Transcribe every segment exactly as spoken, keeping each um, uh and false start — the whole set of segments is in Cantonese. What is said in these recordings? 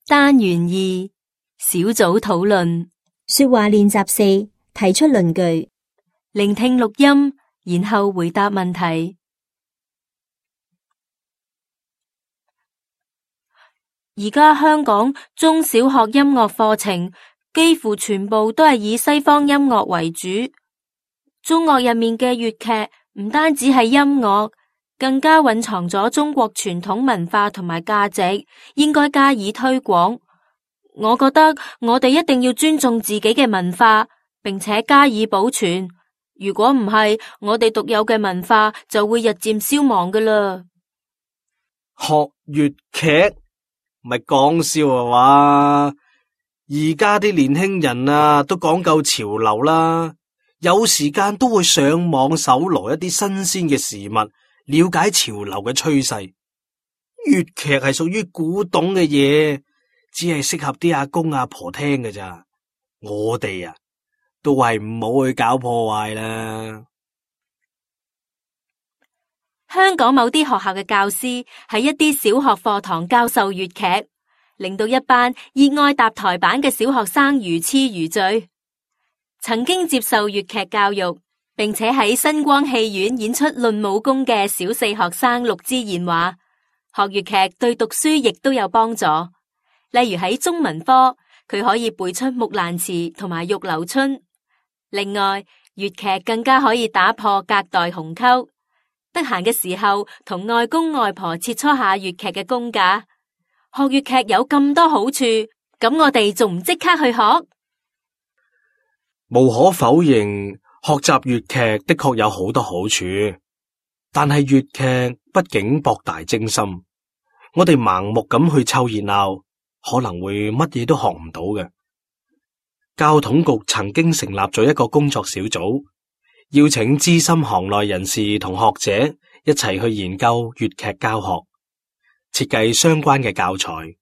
單元二小組討論。說話練習四，提出論據。聆聽錄音，然後回答問題。而家香港中小學音樂課程幾乎全部都係以西方音樂為主，中樂入面嘅粵劇唔單止係音樂，更加蘊藏咗中國傳統文化同埋價值，應該加以推廣。我覺得我哋一定要尊重自己嘅文化，並且加以保存。如果唔係，我哋獨有嘅文化就會日漸消亡㗎喇。學粵劇咪講笑啊嘛！而家啲年輕人啊，都講究潮流啦，有時間都會上網搜羅一啲新鮮嘅事物，了解潮流嘅趨勢。粵劇係屬於古董嘅嘢，只係適合啲阿公阿婆聽㗎咋。我哋啊，都係唔好去搞破壞啦。香港某啲學校嘅教師喺一啲小學課堂教授粵劇，令到一班熱愛搭台板嘅小學生如痴如醉。曾經接受粵劇教育，並且喺新光戲院演出論武功嘅小四學生陸之賢話，學粵劇對讀書亦都有幫助。例如喺中文科，佢可以背出木蘭辭同埋玉樓春。另外，粵劇更加可以打破隔代鴻溝。得閒嘅時候，同外公外婆切磋下粵劇嘅功架。學粵劇有咁多好處，咁我哋仲唔即刻去學？無可否認，學習粵劇的確有好多好處，但係粵劇畢竟博大精深，我哋盲目咁去湊熱鬧，可能會乜嘢都學唔到嘅。教統局曾經成立咗一個工作小組，邀請資深行內人士同學者一齊去研究粵劇教學，設計相關嘅教材，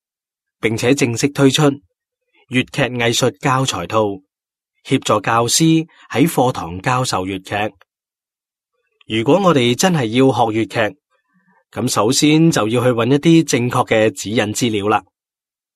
並且正式推出粵劇藝術教材套，協助教師喺課堂教授粵劇。如果我哋真係要學粵劇，咁首先就要去揾一啲正確嘅指引資料啦。